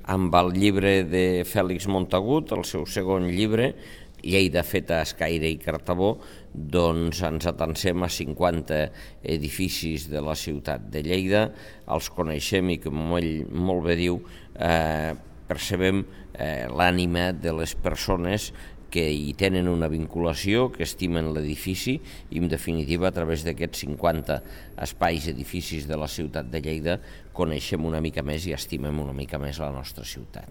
amb el llibre de Fèlix Montagut, el seu segon llibre, Lleida feta a escaire i cartabó, doncs ens atansem a 50 edificis de la ciutat de Lleida, els coneixem i, com ell molt bé diu, percebem l'ànima de les persones que hi tenen una vinculació, que estimen l'edifici i, en definitiva, a través d'aquests 50 espais, edificis de la ciutat de Lleida, coneixem una mica més i estimem una mica més la nostra ciutat.